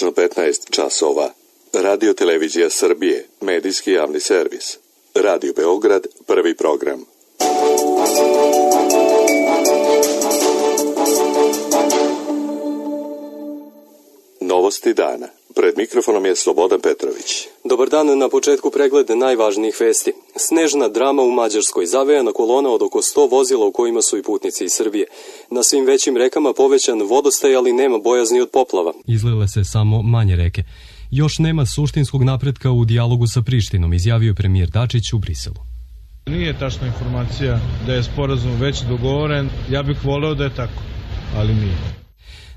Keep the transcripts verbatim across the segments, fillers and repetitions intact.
Tačno petnaest časova. Radio Televizija Srbije, medijski javni servis. Radio Beograd, prvi program. Novosti dana. Pred mikrofonom je Slobodan Petrović. Dobar dan, na početku pregled najvažnijih vesti. Snežna drama u Mađarskoj, zavejana kolona od oko sto vozila u kojima su i putnici iz Srbije. Na svim većim rekama povećan vodostaj, ali nema bojazni od poplava. Izlile se samo manje reke. Još nema suštinskog napretka u dijalogu sa Prištinom, izjavio premijer Dačić u Briselu. Nije tačna informacija da je sporazum već dogovoren. Ja bih voleo da je tako, ali nije.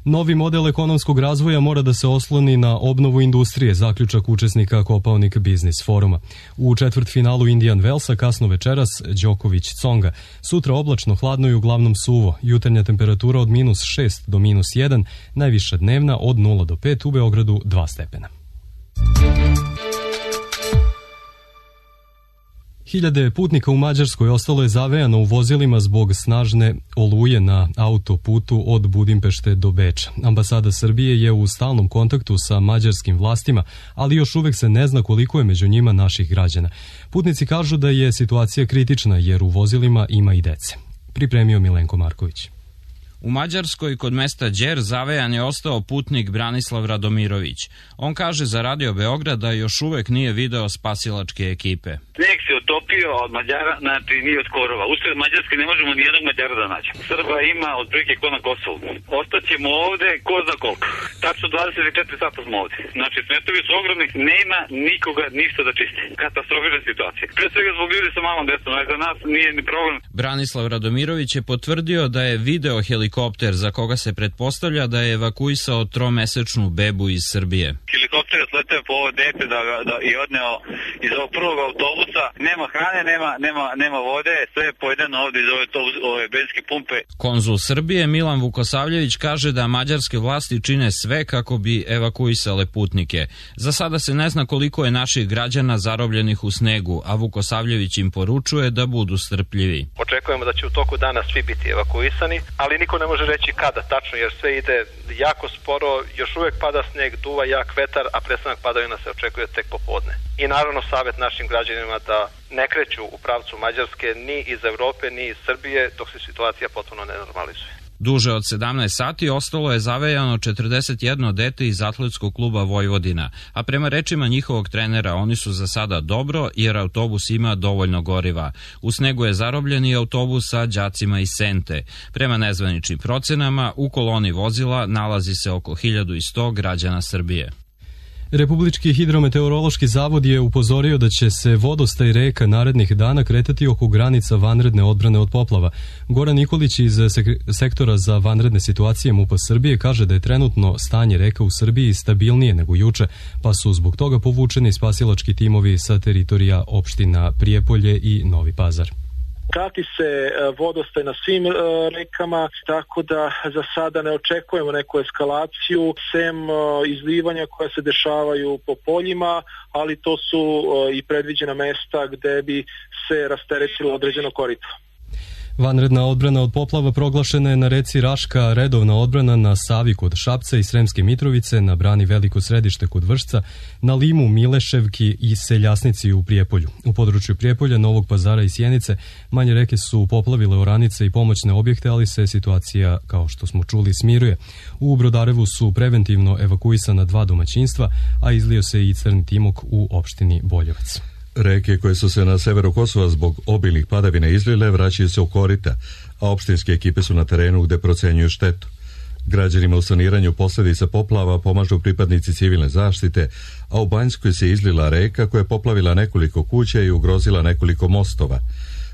Novi model ekonomskog razvoja mora da se osloni na obnovu industrije, zaključak učesnika Kopaonik Biznis foruma. U četvrtfinalu Indian Wellsa kasno večeras Đoković Tsonga. Sutra oblačno, hladno i uglavnom suvo. Jutarnja temperatura od minus šest do minus jedan, najviša dnevna od nula do pet, u Beogradu dva stepena. Hiljade putnika u Mađarskoj ostalo je zavejano u vozilima zbog snažne oluje na autoputu od Budimpešte do Beča. Ambasada Srbije je u stalnom kontaktu sa mađarskim vlastima, ali još uvek se ne zna koliko je među njima naših građana. Putnici kažu da je situacija kritična jer u vozilima ima i dece. Pripremio Milenko Marković. U Mađarskoj kod mesta Đer zavejan je ostao putnik Branislav Radomirović. On kaže za Radio Beograd da još uvek nije video spasilačke ekipe. Sneg se otopio od Mađara, znači nije od korova. Usred Mađarske ne možemo nijednog Mađara da nađemo. Srba ima otprilike ko na Kosovu. Ostaćemo ovde ko zna koliko. Tačno dvadeset četiri sata smo ovde. Znači smetovi su ogromni, nema nikoga ništa da čisti. Katastrofična situacija. Pre svega zbog ljudi sa malom decom, ali za nas nije ni problem. Branislav Radomirović je potvrdio da je video helikopter za koga se pretpostavlja da je evakuisao tromesečnu bebu iz Srbije. Helikopter je sleteo po ovo dete da, da, i odneo iz ovog prvog autobusa. Nema hrane, nema, nema, nema vode, sve je pojedeno ovde iz ove, ove benzinske pumpe. Konzul Srbije Milan Vukosavljević kaže da mađarske vlasti čine sve kako bi evakuisale putnike. Za sada se ne zna koliko je naših građana zarobljenih u snegu, a Vukosavljević im poručuje da budu strpljivi. Očekujemo da će u toku dana svi biti evakuisani, ali niko ne može reći kada tačno, jer sve ide jako sporo, još uvek pada sneg, duva jak vetar, a prestanak padavina se očekuje tek popodne. I naravno savjet našim građanima da ne kreću u pravcu Mađarske ni iz Evrope, ni iz Srbije, dok se situacija potpuno ne normalizuje. Duže od sedamnaest sati ostalo je zavejano četrdeset jedno dete iz atletskog kluba Vojvodina, a prema rečima njihovog trenera oni su za sada dobro jer autobus ima dovoljno goriva. U snegu je zarobljen i autobus sa đacima iz Sente. Prema nezvaničnim procenama u koloni vozila nalazi se oko hiljadu sto građana Srbije. Republički hidrometeorološki zavod je upozorio da će se vodostaj reka narednih dana kretati oko granica vanredne odbrane od poplava. Goran Nikolić iz sektora za vanredne situacije MUP-a Srbije kaže da je trenutno stanje reka u Srbiji stabilnije nego juče, pa su zbog toga povučeni spasilački timovi sa teritorija opština Prijepolje i Novi Pazar. Prati se vodostaj na svim rekama, tako da za sada ne očekujemo neku eskalaciju, sem izlivanja koja se dešavaju po poljima, ali to su i predviđena mesta gde bi se rasteretilo određeno korito. Vanredna odbrana od poplava proglašena je na reci Raška, redovna odbrana na Savi kod Šapca i Sremske Mitrovice, na brani Veliko Središte kod Vršca, na Limu, Mileševki i Seljasnici u Prijepolju. U području Prijepolja, Novog Pazara i Sjenice manje reke su poplavile oranice i pomoćne objekte, ali se situacija, kao što smo čuli, smiruje. U Brodarevu su preventivno evakuisana dva domaćinstva, a izlio se i crni timok u opštini Boljevac. Reke koje su se na severu Kosova zbog obilnih padavina izlile vraćaju se u korita, a opštinske ekipe su na terenu gde procenjuju štetu. Građanima u saniranju posledica poplava pomažu pripadnici civilne zaštite, a u Banjskoj se izlila reka koja je poplavila nekoliko kuća i ugrozila nekoliko mostova.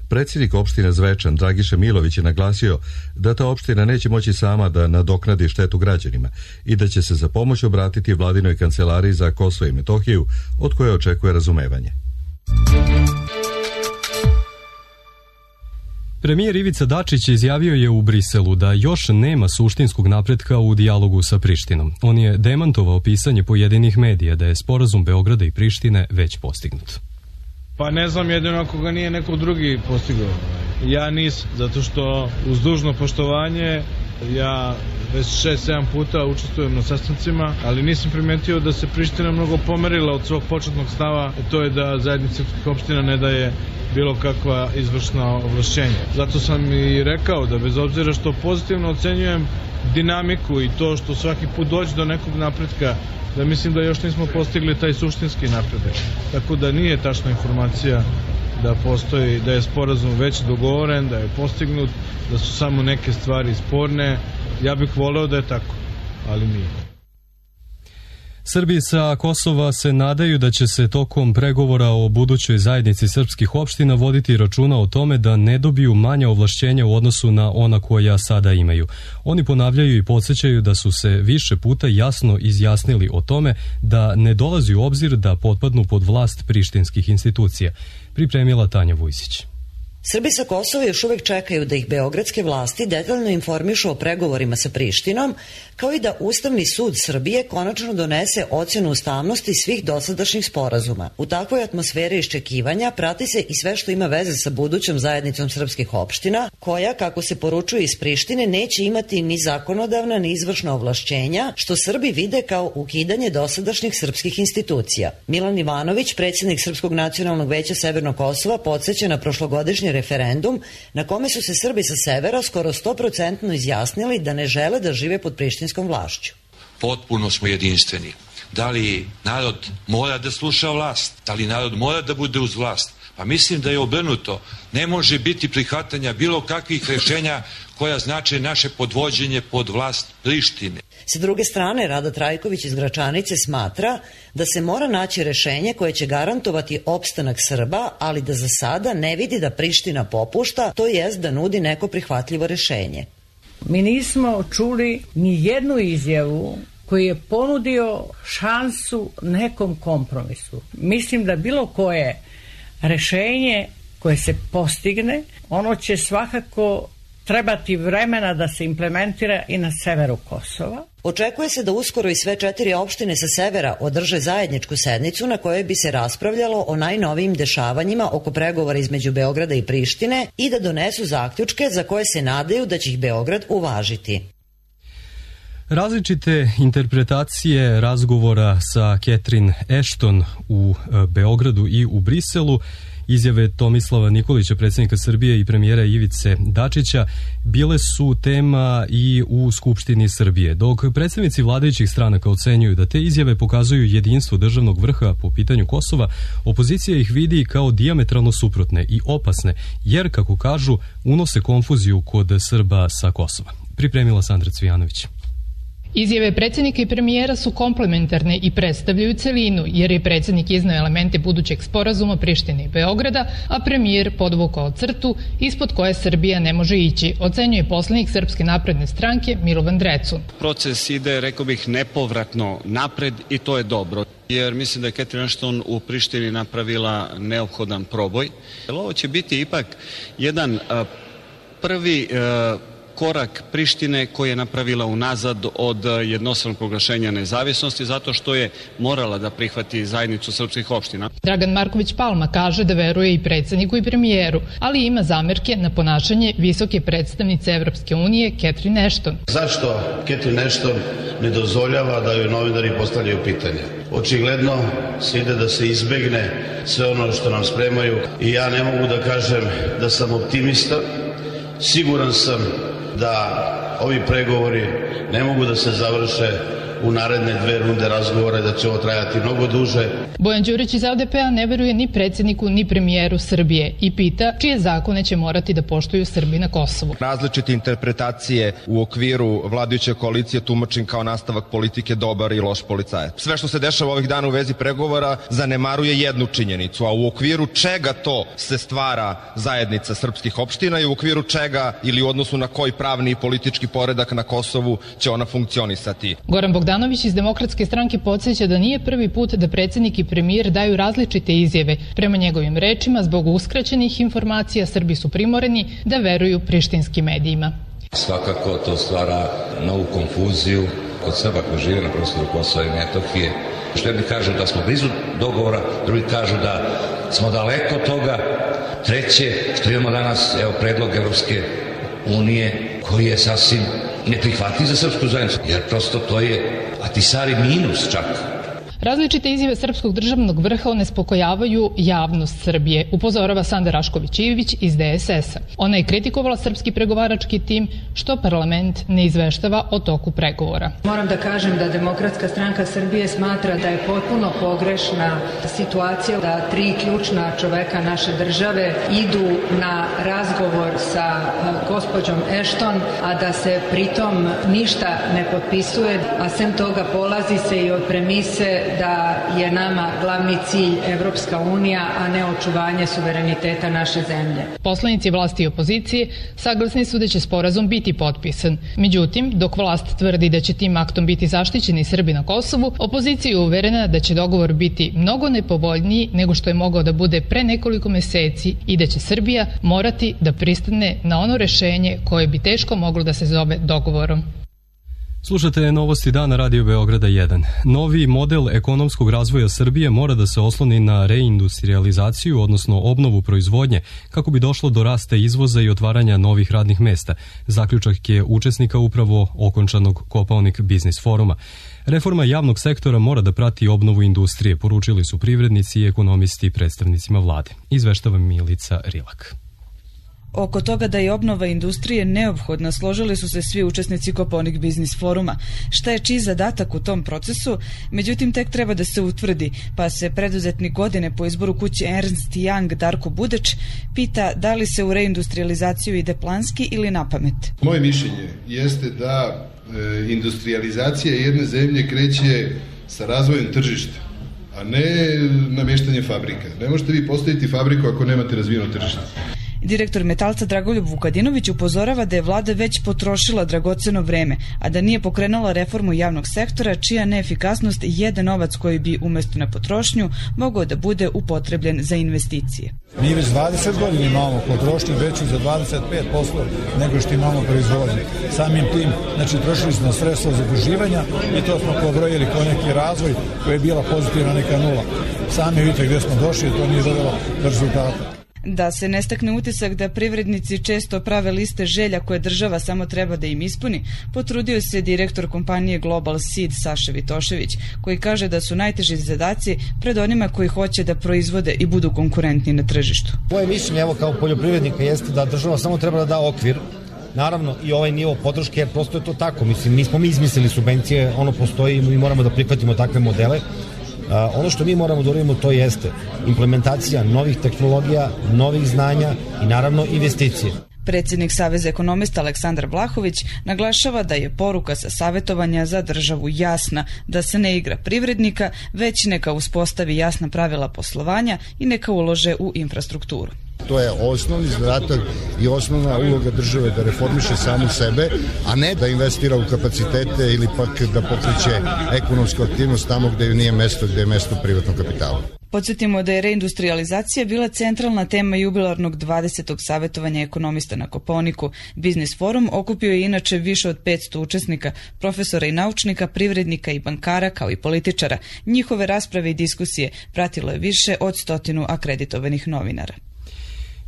Predsjednik opštine Zvečan Dragiša Milović je naglasio da ta opština neće moći sama da nadoknadi štetu građanima i da će se za pomoć obratiti vladinoj kancelariji za Kosovo i Metohiju, od koje očekuje razumevanje. Premijer Ivica Dačić izjavio je u Briselu da još nema suštinskog napretka u dijalogu sa Prištinom. On je demantovao pisanje pojedinih medija da je sporazum Beograda i Prištine već postignut. Pa ne znam, jedino ako ga nije neko drugi postigao. Ja nisam, zato što uz dužno poštovanje Ja već šest sedam puta učestvujem na sastancima, ali nisam primetio da se Priština mnogo pomerila od svog početnog stava, to je da zajednica srpskih opština ne daje bilo kakva izvršna ovlašćenja. Zato sam i rekao da bez obzira što pozitivno ocenjujem dinamiku i to što svaki put dođe do nekog napretka, da mislim da još nismo postigli taj suštinski napredak. Tako da nije tačna informacija da postoji, da je sporazum već dogovoren, da je postignut, da su samo neke stvari sporne. Ja bih voleo da je tako, ali nije. Srbi sa Kosova se nadaju da će se tokom pregovora o budućoj zajednici srpskih opština voditi računa o tome da ne dobiju manja ovlašćenja u odnosu na ona koja sada imaju. Oni ponavljaju i podsjećaju da su se više puta jasno izjasnili o tome da ne dolazi u obzir da potpadnu pod vlast prištinskih institucija. Pripremila Tanja Vujsić. Srbi sa Kosova još uvek čekaju da ih beogradske vlasti detaljno informišu o pregovorima sa Prištinom, kao i da Ustavni sud Srbije konačno donese ocenu ustavnosti svih dosadašnjih sporazuma. U takvoj atmosferi iščekivanja prati se i sve što ima veze sa budućom zajednicom srpskih opština, koja, kako se poručuje iz Prištine, neće imati ni zakonodavna ni izvršna ovlašćenja, što Srbi vide kao ukidanje dosadašnjih srpskih institucija. Milan Ivanović, predsjednik Srpskog nacionalnog veća Severnog Kosova, podsjeća na prošlogodišnji referendum na kome su se Srbi sa severa skoro sto posto izjasnili da ne žele da žive pod prištinskom vlašću. Potpuno smo jedinstveni. Da li narod mora da sluša vlast? Da li narod mora da bude uz vlast? Pa mislim da je obrnuto. Ne može biti prihvatanja bilo kakvih rešenja koja znače naše podvođenje pod vlast Prištine. Sa druge strane, Rada Trajković iz Gračanice smatra da se mora naći rešenje koje će garantovati opstanak Srba, ali da za sada ne vidi da Priština popušta, to jest da nudi neko prihvatljivo rešenje. Mi nismo čuli ni jednu izjavu koji je ponudio šansu nekom kompromisu. Mislim da bilo koje rešenje koje se postigne, ono će svakako trebati vremena da se implementira i na severu Kosova. Očekuje se da uskoro i sve četiri opštine sa severa održe zajedničku sednicu na kojoj bi se raspravljalo o najnovijim dešavanjima oko pregovora između Beograda i Prištine i da donesu zaključke za koje se nadaju da će ih Beograd uvažiti. Različite interpretacije razgovora sa Catherine Ashton u Beogradu i u Briselu, izjave Tomislava Nikolića, predsjednika Srbije, i premijera Ivice Dačića bile su tema i u Skupštini Srbije. Dok predstavnici vladajućih stranaka ocenjuju da te izjave pokazuju jedinstvo državnog vrha po pitanju Kosova, opozicija ih vidi kao dijametralno suprotne i opasne, jer, kako kažu, unose konfuziju kod Srba sa Kosova. Pripremila Sandra Cvijanović. Izjave predsjednika i premijera su komplementarne i predstavljaju celinu, jer je predsjednik iznao elemente budućeg sporazuma Prištine i Beograda, a premijer podvukao crtu ispod koje Srbija ne može ići, ocenjuje poslanik Srpske napredne stranke Milovan Drecun. Proces ide, rekao bih, nepovratno napred i to je dobro, jer mislim da je Catherine Ashton u Prištini napravila neophodan proboj. Ovo će biti ipak jedan a, prvi a, korak Prištine koji je napravila unazad od jednostranog proglašenja nezavisnosti zato što je morala da prihvati zajednicu srpskih opština. Dragan Marković Palma kaže da veruje i predsjedniku i premijeru, ali ima zamerke na ponašanje visoke predstavnice Evropske unije Catherine Ashton. Zašto Catherine Ashton ne dozvoljava da joj novinari postavljaju pitanja? Očigledno se ide da se izbegne sve ono što nam spremaju i ja ne mogu da kažem da sam optimista. Siguran sam da ovi pregovori ne mogu da se završe u naredne dve runde razgovora, da će ovo trajati mnogo duže. Bojan Đurić iz L D P-a ne veruje ni predsjedniku ni premijeru Srbije i pita čije zakone će morati da poštuju Srbi na Kosovu. Različite interpretacije u okviru vladajuće koalicije tumačim kao nastavak politike dobar i loš policajac. Sve što se dešava ovih dana u vezi pregovora zanemaruje jednu činjenicu, a u okviru čega to se stvara zajednica srpskih opština i u okviru čega ili u odnosu na koji pravni i politički poredak na Kosovu će ona funkcionisati. Goran Bogdanović iz Demokratske stranke podsjeća da nije prvi put da predsjednik i premijer daju različite izjave. Prema njegovim rečima, zbog uskraćenih informacija, Srbi su primoreni da veruju prištinskim medijima. Svakako to stvara novu konfuziju kod Srba koji žive na prostoru Kosova i Metohije. Što jedni kažu da smo blizu dogovora, drugi kažu da smo daleko od toga. Treće, što imamo danas, evo, predlog Evropske unije koji je sasvim neprihvatljiv za srpsku zajednicu, jer prosto to je Ahtisari minus čak. Različite izjave srpskog državnog vrha onespokojavaju javnost Srbije, upozorava Sanda Rašković-Ivić iz D S S-a. Ona je kritikovala srpski pregovarački tim što parlament ne izveštava o toku pregovora. Moram da kažem da Demokratska stranka Srbije smatra da je potpuno pogrešna situacija da tri ključna čoveka naše države idu na razgovor sa gospođom Ashton, a da se pritom ništa ne potpisuje, a sem toga polazi se i od premise da je nama glavni cilj Evropska unija, a ne očuvanje suvereniteta naše zemlje. Poslanici vlasti i opozicije saglasni su da će sporazum biti potpisan. Međutim, dok vlast tvrdi da će tim aktom biti zaštićeni Srbi na Kosovu, opozicija je uverena da će dogovor biti mnogo nepovoljniji nego što je mogao da bude pre nekoliko meseci i da će Srbija morati da pristane na ono rešenje koje bi teško moglo da se zove dogovorom. Slušate novosti dana Radio Beograda jedan. Novi model ekonomskog razvoja Srbije mora da se osloni na reindustrializaciju, odnosno obnovu proizvodnje, kako bi došlo do rasta izvoza i otvaranja novih radnih mesta. Zaključak je učesnika upravo okončanog Kopaonik biznis foruma. Reforma javnog sektora mora da prati obnovu industrije, poručili su privrednici i ekonomisti predstavnicima vlade. Izveštava Milica Rilak. Oko toga da je obnova industrije neophodna složili su se svi učesnici Kopaonik biznis foruma. Šta je čiji zadatak u tom procesu? Međutim, tek treba da se utvrdi, pa se preduzetnik godine po izboru kuće Ernst Young Darko Budeć pita da li se u reindustrializaciju ide planski ili na pamet. Moje mišljenje jeste da e, industrializacija jedne zemlje kreće sa razvojem tržišta, a ne namještanjem fabrika. Ne možete vi postaviti fabriku ako nemate razvijeno tržište. Direktor Metalca Dragoljub Vukadinović upozorava da je vlada već potrošila dragoceno vreme, a da nije pokrenula reformu javnog sektora, čija neefikasnost jede novac koji bi umesto na potrošnju mogao da bude upotrebljen za investicije. Mi već dvadeset godina imamo potrošnju veću za dvadeset pet posto nego što imamo proizvodnje. Samim tim, znači, trošili smo sredstva zaduživanja i to smo pobrojili kao neki razvoj koji je bila pozitivna neka nula. Sami vidite gdje smo došli, to nije dovelo do rezultata. Da se ne stakne utisak da privrednici često prave liste želja koje država samo treba da im ispuni, potrudio se direktor kompanije Global Seed Saša Vitošević, koji kaže da su najteži zadaci pred onima koji hoće da proizvode i budu konkurentni na tržištu. Moje mišljenje, evo, kao poljoprivrednika jeste da država samo treba da da okvir, naravno i ovaj nivo podrške, jer prosto je to tako. Mislim, nismo mi izmislili subvencije, ono postoji i mi moramo da prihvatimo takve modele. Uh, ono što mi moramo da uradimo to jeste implementacija novih tehnologija, novih znanja i naravno investicije. Predsjednik Saveza ekonomista Aleksandar Vlahović naglašava da je poruka sa savjetovanja za državu jasna, da se ne igra privrednika, već neka uspostavi jasna pravila poslovanja i neka ulože u infrastrukturu. To je osnovni zadatak i osnovna uloga države da reformiše samu sebe, a ne da investira u kapacitete ili pak da pokreće ekonomsku aktivnost tamo gde ju nije mesto, gde je mesto privatnog kapitala. Podsjetimo da je reindustrializacija bila centralna tema jubilarnog dvadesetog savjetovanja ekonomista na Kopaoniku. Biznis forum okupio je inače više od petsto učesnika, profesora i naučnika, privrednika i bankara, kao i političara. Njihove rasprave i diskusije pratilo je više od stotinu akreditovanih novinara.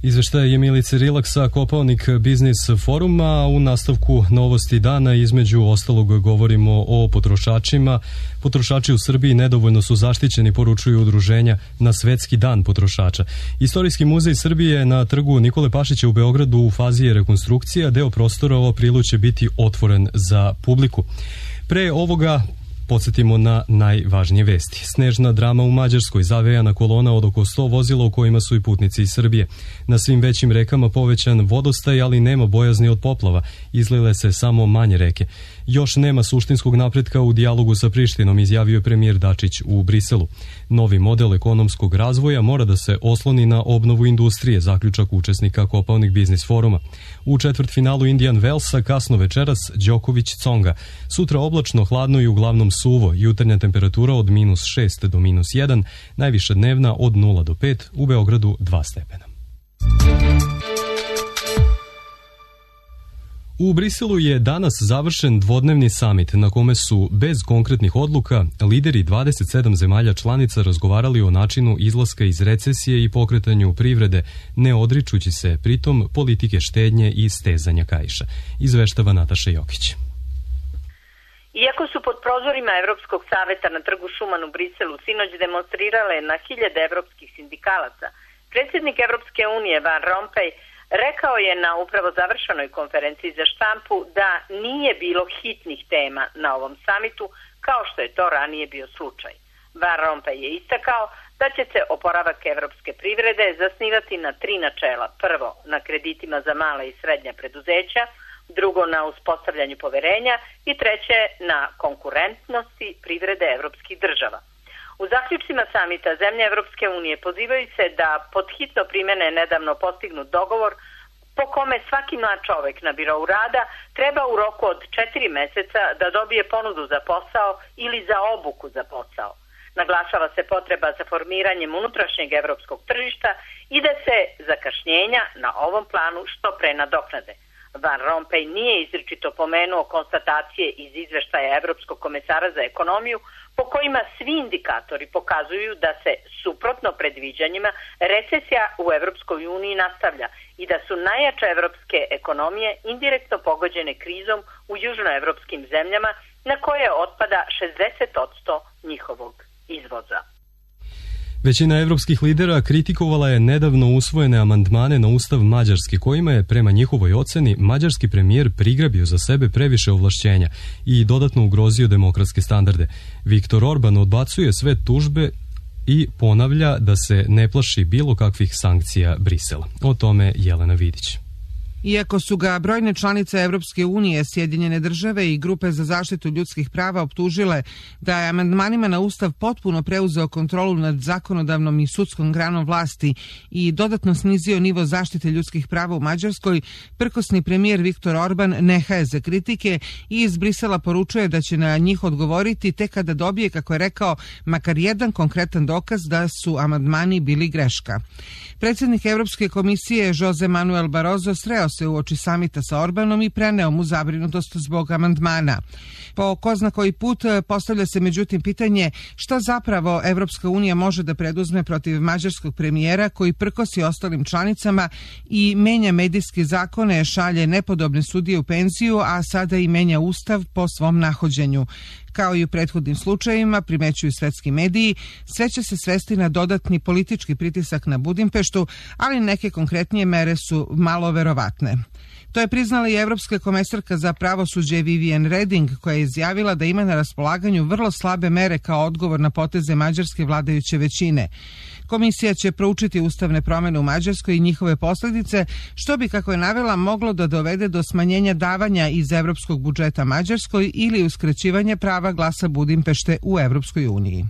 Izveštaj je Milice Rilak sa Kopaonik biznis foruma. U nastavku novosti dana između ostalog govorimo o potrošačima. Potrošači u Srbiji nedovoljno su zaštićeni, poručuju udruženja na Svetski dan potrošača. Istorijski muzej Srbije na trgu Nikole Pašića u Beogradu u fazi je rekonstrukcija. Deo prostora u aprilu će biti otvoren za publiku. Pre ovoga podsjetimo na najvažnije vesti. Snežna drama u Mađarskoj, zavejana kolona od oko sto vozila u kojima su i putnici iz Srbije. Na svim većim rekama povećan vodostaj, ali nema bojazni od poplava. Izlile se samo manje reke. Još nema suštinskog napretka u dijalogu sa Prištinom, izjavio je premijer Dačić u Briselu. Novi model ekonomskog razvoja mora da se osloni na obnovu industrije, zaključak učesnika Kopaonik biznis foruma. U četvrtfinalu Indian Wellsa kasno večeras Đoković Tsonga. Sutra oblačno, hladno i uglavnom suvo. Jutarnja temperatura od minus šest do minus jedan, najviša dnevna od nula do pet, u Beogradu dva stepena. U Briselu je danas završen dvodnevni samit na kome su bez konkretnih odluka lideri dvadeset sedam zemalja članica razgovarali o načinu izlaska iz recesije i pokretanju privrede, ne odričući se pritom politike štednje i stezanja kaiša. Izveštava Nataša Jokić. Iako su pod prozorima Evropskog saveta na trgu Šuman u Briselu sinoć demonstrirale na hiljade evropskih sindikalaca, predsjednik Evropske unije Van Rompuy rekao je na upravo završenoj konferenciji za štampu da nije bilo hitnih tema na ovom samitu kao što je to ranije bio slučaj. Van Rompuy je istakao da će se oporavak evropske privrede zasnivati na tri načela. Prvo, na kreditima za mala i srednja preduzeća, drugo na uspostavljanju poverenja i treće na konkurentnosti privrede evropskih država. U zaključcima samita zemlje Evropske unije pozivaju se da pod hitno primene nedavno postignut dogovor po kome svaki mlad čovek na birou rada treba u roku od četiri meseca da dobije ponudu za posao ili za obuku za posao. Naglašava se potreba za formiranjem unutrašnjeg evropskog tržišta i da se zakašnjenja na ovom planu što pre nadoknade. Van Rompuy nije izričito pomenuo konstatacije iz izveštaja Evropskog komesara za ekonomiju po kojima svi indikatori pokazuju da se, suprotno predviđanjima, recesija u Evropskoj uniji nastavlja i da su najjače evropske ekonomije indirektno pogođene krizom u južnoevropskim zemljama na koje otpada šezdeset posto njihovog izvoza. Većina evropskih lidera kritikovala je nedavno usvojene amandmane na ustav Mađarske, kojima je, prema njihovoj oceni, mađarski premijer prigrabio za sebe previše ovlašćenja i dodatno ugrozio demokratske standarde. Viktor Orban odbacuje sve tužbe i ponavlja da se ne plaši bilo kakvih sankcija Brisela. O tome Jelena Vidić. Iako su ga brojne članice Evropske unije, Sjedinjene države i grupe za zaštitu ljudskih prava optužile da je amandmanima na ustav potpuno preuzeo kontrolu nad zakonodavnom i sudskom granom vlasti i dodatno snizio nivo zaštite ljudskih prava u Mađarskoj, prkosni premijer Viktor Orban ne haje za kritike i iz Brisela poručuje da će na njih odgovoriti tek kada dobije, kako je rekao, makar jedan konkretan dokaz da su amandmani bili greška. Predsjednik Evropske komisije Jose Manuel Barroso sreo se uoči samita sa Orbanom i preneo mu zabrinutost zbog amandmana. Po ko zna koji put postavlja se međutim pitanje šta zapravo Evropska unija može da preduzme protiv mađarskog premijera koji prkosi ostalim članicama i menja medijske zakone, šalje nepodobne sudije u penziju, a sada i menja ustav po svom nahođenju. Kao i u prethodnim slučajevima, primećuju svetski mediji, sve će se svesti na dodatni politički pritisak na Budimpeštu, ali neke konkretnije mere su malo verovatne. To je priznala i Evropska komesarka za pravosuđe Viviane Reding, koja je izjavila da ima na raspolaganju vrlo slabe mere kao odgovor na poteze mađarske vladajuće većine. Komisija će proučiti ustavne promene u Mađarskoj i njihove posljedice, što bi, kako je navela, moglo da dovede do smanjenja davanja iz evropskog budžeta Mađarskoj ili uskraćivanje prava glasa Budimpešte u Evropskoj uniji.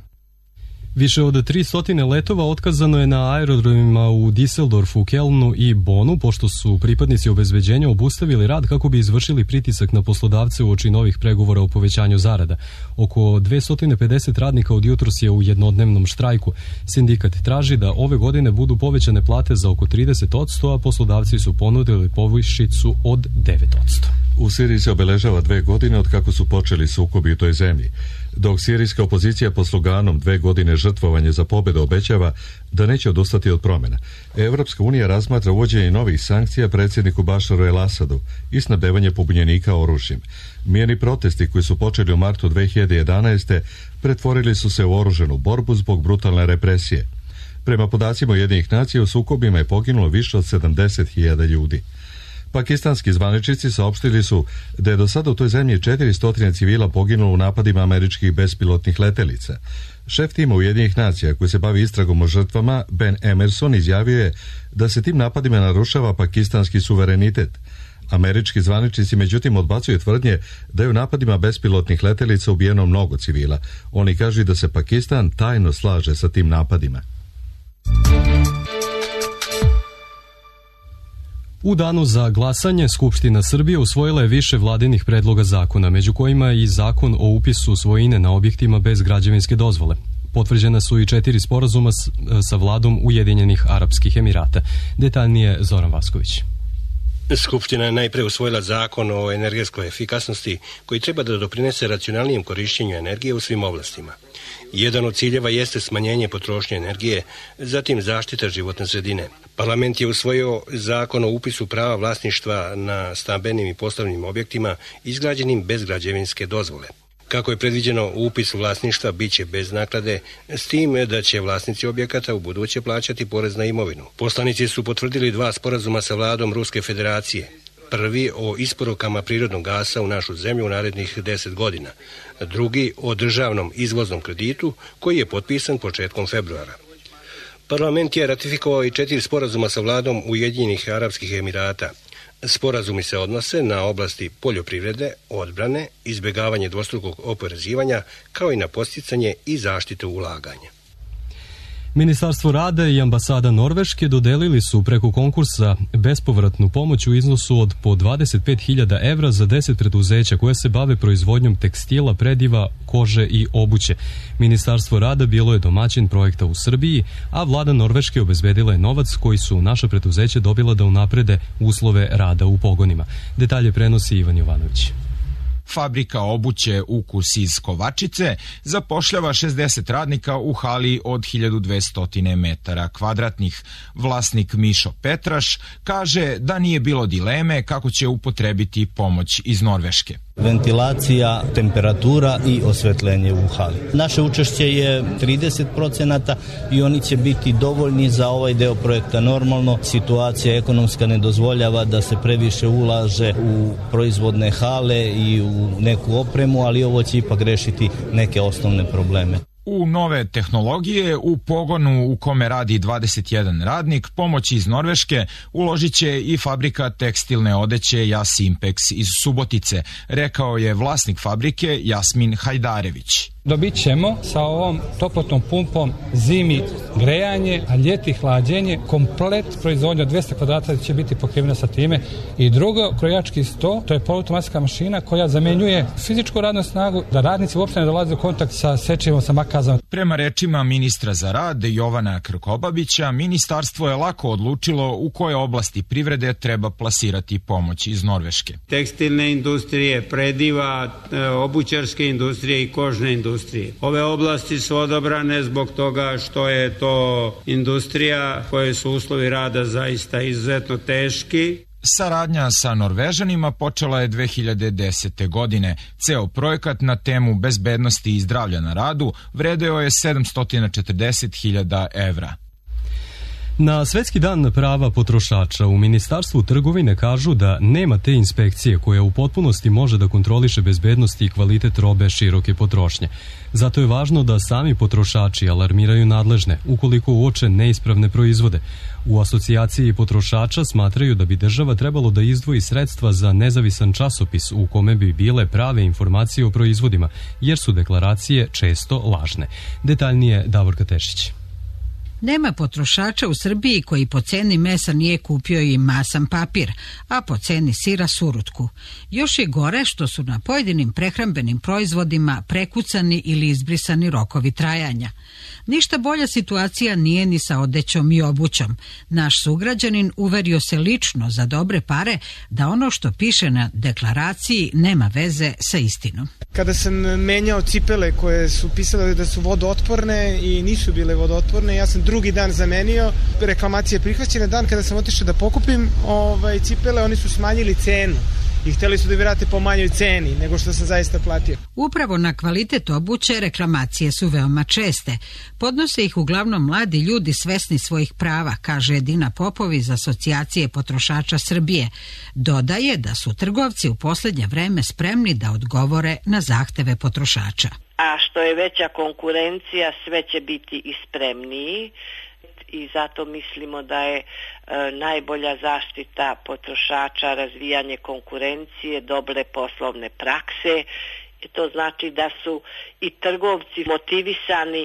Više od tristo letova otkazano je na aerodromima u Düsseldorfu, Kelnu i Bonu, pošto su pripadnici obezbeđenja obustavili rad kako bi izvršili pritisak na poslodavce uoči novih pregovora o povećanju zarada. Oko dvesta pedeset radnika od jutros je u jednodnevnom štrajku. Sindikat traži da ove godine budu povećane plate za oko trideset posto, a poslodavci su ponudili povišicu od devet posto. U Siriji se obeležava dve godine od kako su počeli sukobi u toj zemlji. Dok sirijska opozicija pod sloganom dve godine žrtvovanje za pobedu obećava da neće odustati od promjena, Evropska unija razmatra uvođenje novih sankcija predsjedniku Bašaru el-Asadu i snabdevanje pobunjenika oružjem. Mirni protesti koji su počeli u martu dve hiljade jedanaeste. pretvorili su se u oružanu borbu zbog brutalne represije. Prema podacima Ujedinjenih nacija u sukobima je poginulo više od sedamdeset hiljada ljudi. Pakistanski zvaničnici saopštili su da je do sada u toj zemlji četiristo civila poginulo u napadima američkih bespilotnih letelica. Šef tima Ujedinjenih nacija koji se bavi istragom o žrtvama, Ben Emerson, izjavio je da se tim napadima narušava pakistanski suverenitet. Američki zvaničnici međutim odbacuju tvrdnje da je u napadima bespilotnih letelica ubijeno mnogo civila. Oni kažu da se Pakistan tajno slaže sa tim napadima. U danu za glasanje Skupština Srbije usvojila je više vladinih predloga zakona, među kojima i zakon o upisu svojine na objektima bez građevinske dozvole. Potvrđena su i četiri sporazuma sa vladom Ujedinjenih Arapskih Emirata. Detaljnije Zoran Vasković. Skupština je najpre usvojila zakon o energetskoj efikasnosti koji treba da doprinese racionalnijem korišćenju energije u svim oblastima. Jedan od ciljeva jeste smanjenje potrošnje energije, zatim zaštita životne sredine. Parlament je usvojio zakon o upisu prava vlasništva na stambenim i poslovnim objektima izgrađenim bez građevinske dozvole. Kako je predviđeno, upis vlasništva bit će bez naknade, s tim da će vlasnici objekata u buduće plaćati porez na imovinu. Poslanici su potvrdili dva sporazuma sa vladom Ruske federacije. Prvi o isporukama prirodnog gasa u našu zemlju u narednih deset godina. Drugi o državnom izvoznom kreditu koji je potpisan početkom februara. Parlament je ratifikovao i četiri sporazuma sa vladom Ujedinjenih Arapskih Emirata. Sporazumi se odnose na oblasti poljoprivrede, odbrane, izbjegavanje dvostrukog oporezivanja, kao i na podsticanje i zaštitu ulaganja. Ministarstvo rada i ambasada Norveške dodelili su preko konkursa bespovratnu pomoć u iznosu od po dvadeset pet hiljada evra za deset preduzeća koje se bave proizvodnjom tekstila, prediva, kože i obuće. Ministarstvo rada bilo je domaćin projekta u Srbiji, a vlada Norveške obezbedila je novac koji su naša preduzeća dobila da unaprede uslove rada u pogonima. Detalje prenosi Ivan Jovanović. Fabrika obuće Ukus iz Kovačice zapošljava šezdeset radnika u hali od hiljadu dvesta metara kvadratnih. Vlasnik Mišo Petraš kaže da nije bilo dileme kako će upotrebiti pomoć iz Norveške. Ventilacija, temperatura i osvetljenje u hali. Naše učešće je trideset procenata i oni će biti dovoljni za ovaj deo projekta. Normalno, situacija ekonomska ne dozvoljava da se previše ulaže u proizvodne hale i u neku opremu, ali ovo će ipak rešiti neke osnovne probleme. U nove tehnologije, u pogonu u kome radi dvadeset jedan radnik, pomoć iz Norveške uložit će i fabrika tekstilne odeće Jas Impex iz Subotice, rekao je vlasnik fabrike Jasmin Hajdarević. Dobit ćemo sa ovom toplotnom pumpom zimi grejanje, a ljeti hlađenje. Komplet proizvodnja od dvesta kvadrata će biti pokrivena sa time. I drugo, krojački sto, to je poluautomatska mašina koja zamenjuje fizičku radnu snagu, da radnici uopšte ne dolaze u kontakt sa sečivom, sa makazom. Prema rečima ministra za rad Jovana Krkobabića, ministarstvo je lako odlučilo u koje oblasti privrede treba plasirati pomoć iz Norveške. Tekstilne industrije, prediva, obućarske industrije i kožne industrije. Ove oblasti su odabrane zbog toga što je to industrija koje su uslovi rada zaista izuzetno teški. Saradnja sa Norvežanima počela je dve hiljade desete. godine. Ceo projekat na temu bezbednosti i zdravlja na radu vredeo je sedamsto četrdeset hiljada evra. Na Svetski dan prava potrošača u Ministarstvu trgovine kažu da nema te inspekcije koja u potpunosti može da kontroliše bezbednost i kvalitet robe široke potrošnje. Zato je važno da sami potrošači alarmiraju nadležne ukoliko uoče neispravne proizvode. U asocijaciji potrošača smatraju da bi država trebalo da izdvoji sredstva za nezavisan časopis u kome bi bile prave informacije o proizvodima, jer su deklaracije često lažne. Detaljnije Davorka Tešić. Nema potrošača u Srbiji koji po ceni mesa nije kupio i masan papir, a po ceni sira surutku. Još je gore što su na pojedinim prehrambenim proizvodima prekucani ili izbrisani rokovi trajanja. Ništa bolja situacija nije ni sa odećom i obućom. Naš sugrađanin uverio se lično za dobre pare da ono što piše na deklaraciji nema veze sa istinom. Kada sam menjao cipele koje su pisale da su vodootporne i nisu bile vodootporne, ja sam drugi dan zamenio, reklamacija je prihvaćena. Dan kada sam otišao da pokupim ovaj, cipele, oni su smanjili cenu i hteli su da vrate po manjoj ceni nego što sam zaista platio. Upravo na kvalitet obuće reklamacije su veoma česte. Podnose ih uglavnom mladi ljudi svesni svojih prava, kaže Edina Popov iz Asocijacije potrošača Srbije. Dodaje da su trgovci u poslednje vreme spremni da odgovore na zahteve potrošača. A što je veća konkurencija, sve će biti i spremniji. I zato mislimo da je e, najbolja zaštita potrošača razvijanje konkurencije, dobre poslovne prakse. I to znači da su i trgovci motivisani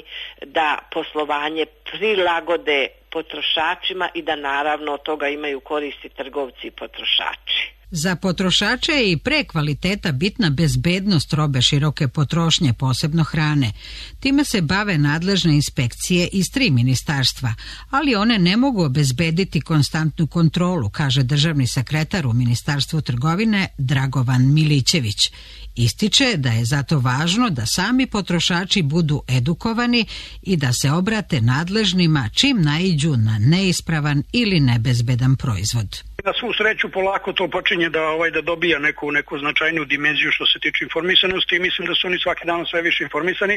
da poslovanje prilagode potrošačima i da naravno od toga imaju koristi trgovci i potrošači. Za potrošače je i pre kvaliteta bitna bezbednost robe široke potrošnje, posebno hrane. Time se bave nadležne inspekcije iz tri ministarstva, ali one ne mogu obezbediti konstantnu kontrolu, kaže državni sekretar u Ministarstvu trgovine Dragovan Milićević. Ističe da je zato važno da sami potrošači budu edukovani i da se obrate nadležnima čim naiđu na neispravan ili nebezbedan proizvod. Na svu sreću polako to počinje počinje da ovaj da dobija neku neku značajnu dimenziju što se tiče informisanosti i mislim da su oni svaki dan sve više informisani.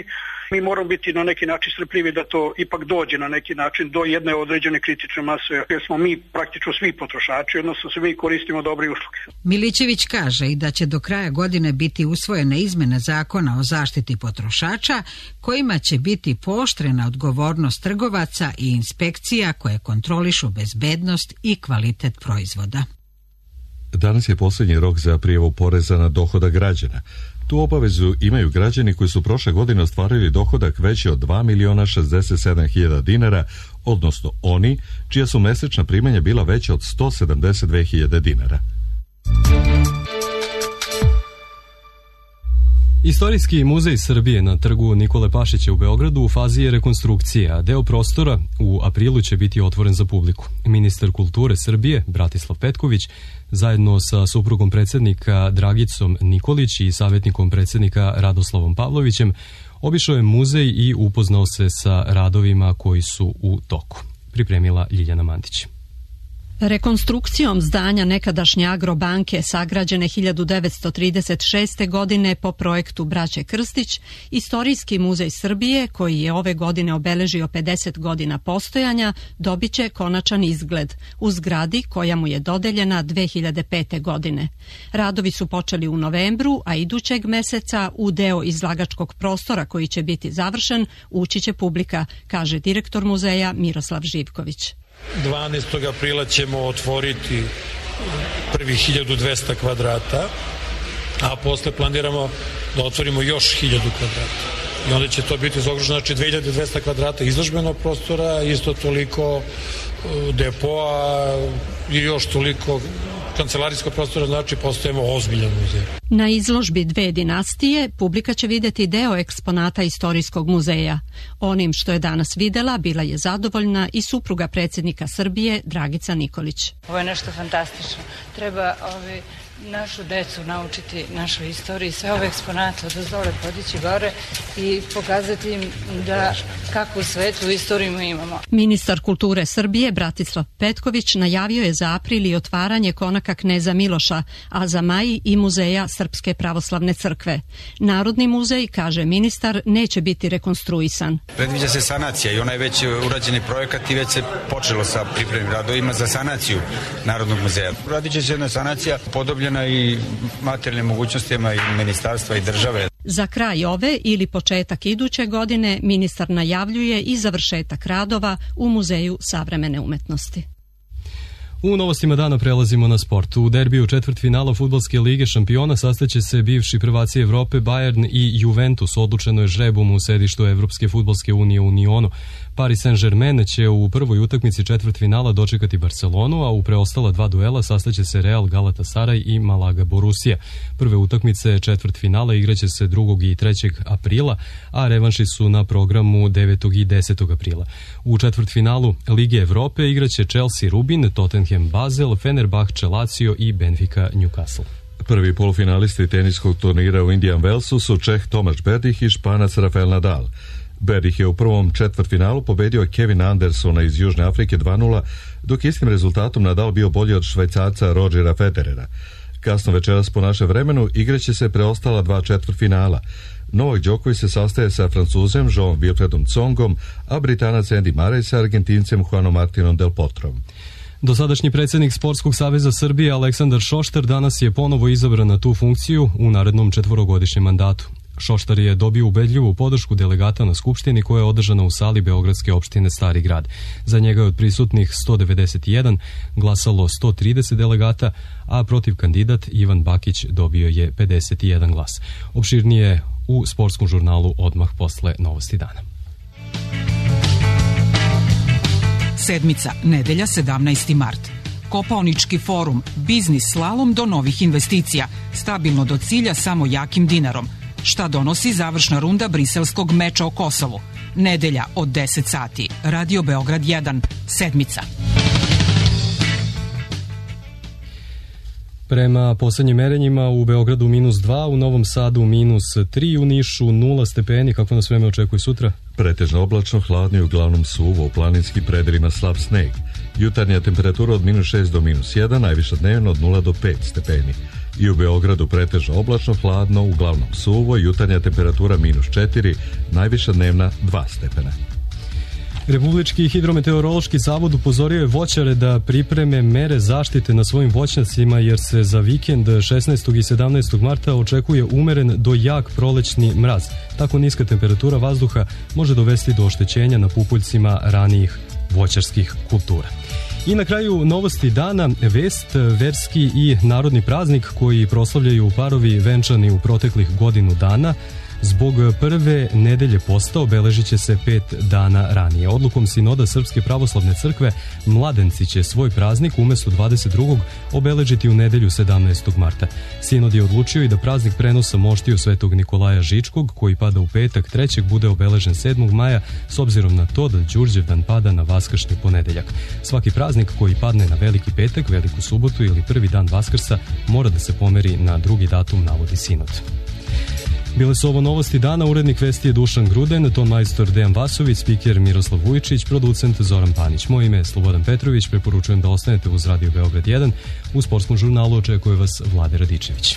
Mi moramo biti na neki način strpljivi da to ipak dođe na neki način do jedne određene kritične mase, jer smo mi praktično svi potrošači, odnosno se mi koristimo dobre usluge. Milićević kaže i da će do kraja godine biti usvojene izmene zakona o zaštiti potrošača kojima će biti pooštrena odgovornost trgovaca i inspekcija koje kontrolišu bezbednost i kvalitet proizvoda. Danas je posljednji rok za prijavu poreza na dohodak građana. Tu obavezu imaju građani koji su prošle godine ostvarili dohodak veći od dva miliona šezdeset sedam hiljada dinara, odnosno oni čija su mesečna primanja bila veća od sto sedamdeset dve hiljade dinara. Istorijski muzej Srbije na trgu Nikole Pašića u Beogradu u fazi je rekonstrukcije, a deo prostora u aprilu će biti otvoren za publiku. Ministar kulture Srbije, Bratislav Petković, zajedno sa suprugom predsjednika Dragicom Nikolić i savjetnikom predsjednika Radoslavom Pavlovićem, obišao je muzej i upoznao se sa radovima koji su u toku. Pripremila Ljiljana Mandić. Rekonstrukcijom zdanja nekadašnje Agrobanke sagrađene hiljadu devetsto trideset šeste. godine po projektu braće Krstić, Istorijski muzej Srbije, koji je ove godine obeležio pedeset godina postojanja, dobit će konačan izgled u zgradi koja mu je dodeljena dve hiljade pete. godine. Radovi su počeli u novembru, a idućeg meseca u deo izlagačkog prostora koji će biti završen ući će publika, kaže direktor muzeja Miroslav Živković. dvanaestog aprila ćemo otvoriti prvih hiljadu dvesta kvadrata, a posle planiramo da otvorimo još hiljadu kvadrata. I onda će to biti zaokruženo, znači dve hiljade dvesta kvadrata izložbenog prostora, isto toliko depoa i još toliko kancelarijskog prostora, znači postajemo ozbiljan muzej. Na izložbi Dve dinastije publika će vidjeti deo eksponata Istorijskog muzeja. Onim što je danas videla bila je zadovoljna i supruga predsjednika Srbije Dragica Nikolić. Ovo je nešto fantastično. Treba ovi našu decu naučiti našoj istoriji, sve ove eksponate od dole podići gore i pokazati im da kakvu svetlu istoriju imamo. Ministar kulture Srbije Bratislav Petković najavio je za april i otvaranje konaka kneza Miloša, a za maj i muzeja Srpske pravoslavne crkve. Narodni muzej, kaže ministar, neće biti rekonstruisan. Predviđa se sanacija i onaj već urađeni projekat i već se počelo sa pripremnim radovima za sanaciju Narodnog muzeja. Radit će se jedna sanacija podobljena i materijalnim mogućnostima i ministarstva i države. Za kraj ove ili početak iduće godine ministar najavljuje i završetak radova u Muzeju savremene umetnosti. U novostima dana prelazimo na sport. U derbiju četvrtfinala Fudbalske lige šampiona sastaće se bivši prvaci Evrope Bayern i Juventus. Odlučeno je žrebom u sedištu Evropske fudbalske unije u Nionu. Paris Saint-Germain će u prvoj utakmici četvrtfinala dočekati Barcelonu, a u preostala dva duela sastaće se Real Galatasaray i Malaga Borussia. Prve utakmice četvrtfinala igraće se drugog i trećeg aprila, a revanši su na programu devetog i desetog aprila. U četvrtfinalu Lige Evrope igraće Chelsea Rubin, Tottenham Basel, Fenerbahče Lazio i Benfica Newcastle. Prvi polufinalisti teniskog turnira u Indian Wellsu su Čeh Tomaš Berdych i Španac Rafael Nadal. Berdych je u prvom četvrtfinalu pobedio Kevina Andersona iz Južne Afrike dva nula, dok istim rezultatom Nadal bio bolji od Švajcarca Rodgera Federera. Kasno večeras po našem vremenu igraće se preostala dva četvrtfinala. Novak Đoković se sastaje sa Francuzem Jean Wilfredom Tsongom, a Britanac Andy Murray sa Argentincem Juanom Martinom Del Potrom. Dosadašnji predsjednik Sportskog saveza Srbije Aleksandar Šoštar danas je ponovo izabran na tu funkciju u narednom četvorogodišnjem mandatu. Šoštar je dobio ubedljivu podršku delegata na Skupštini koja je održana u sali Beogradske opštine Stari grad. Za njega je od prisutnih sto devedeset jedan glasalo sto trideset delegata, a protiv kandidat Ivan Bakić dobio je pedeset jedan glas. Opširnije u sportskom žurnalu odmah posle novosti dana. Sedmica, nedelja sedamnaesti mart. Kopaonički forum, biznis slalom do novih investicija, stabilno do cilja samo jakim dinarom. Šta donosi završna runda briselskog meča o Kosovu? Nedelja od deset sati. Radio Beograd jedan, Sedmica. Prema posljednjim merenjima u Beogradu minus dva, u Novom Sadu minus tri, u Nišu nula stepeni. Kako nas vreme očekuje sutra? Pretežno oblačno, hladno i uglavnom suvo, u planinskim predelima slab sneg. Jutarnja temperatura od minus šest do minus jedan, najviša dnevno od nula do pet stepeni. I u Beogradu pretežno oblačno, hladno, uglavnom suvo, jutarnja temperatura minus četiri, najviša dnevna dva stepena. Republički hidrometeorološki zavod upozorio je voćare da pripreme mere zaštite na svojim voćnjacima jer se za vikend šesnaestog i sedamnaestog marta očekuje umeren do jak prolećni mraz. Tako niska temperatura vazduha može dovesti do oštećenja na pupuljcima ranijih voćarskih kultura. I na kraju novosti dana, vest, verski i narodni praznik koji proslavljaju parovi venčani u proteklih godinu dana. Zbog prve nedelje posta obeležit će se pet dana ranije. Odlukom Sinoda Srpske pravoslavne crkve mladenci će svoj praznik umesto dvadeset drugog obeležiti u nedelju sedamnaestog marta. Sinod je odlučio i da praznik prenosa moštiju Svetog Nikolaja Žičkog, koji pada u petak trećeg, bude obeležen sedmog maja s obzirom na to da Đurđevdan pada na vaskršnji ponedeljak. Svaki praznik koji padne na veliki petak, veliku subotu ili prvi dan Vaskrsa mora da se pomeri na drugi datum, navodi Sinod. Bile su ovo novosti dana, urednik vesti je Dušan Gruden, ton majstor Dejan Vasović, spiker Miroslav Vujičić, producent Zoran Panić. Moje ime je Slobodan Petrović, preporučujem da ostanete uz Radio Beograd jedan. U sportskom žurnalu očekuje vas Vlade Radičević.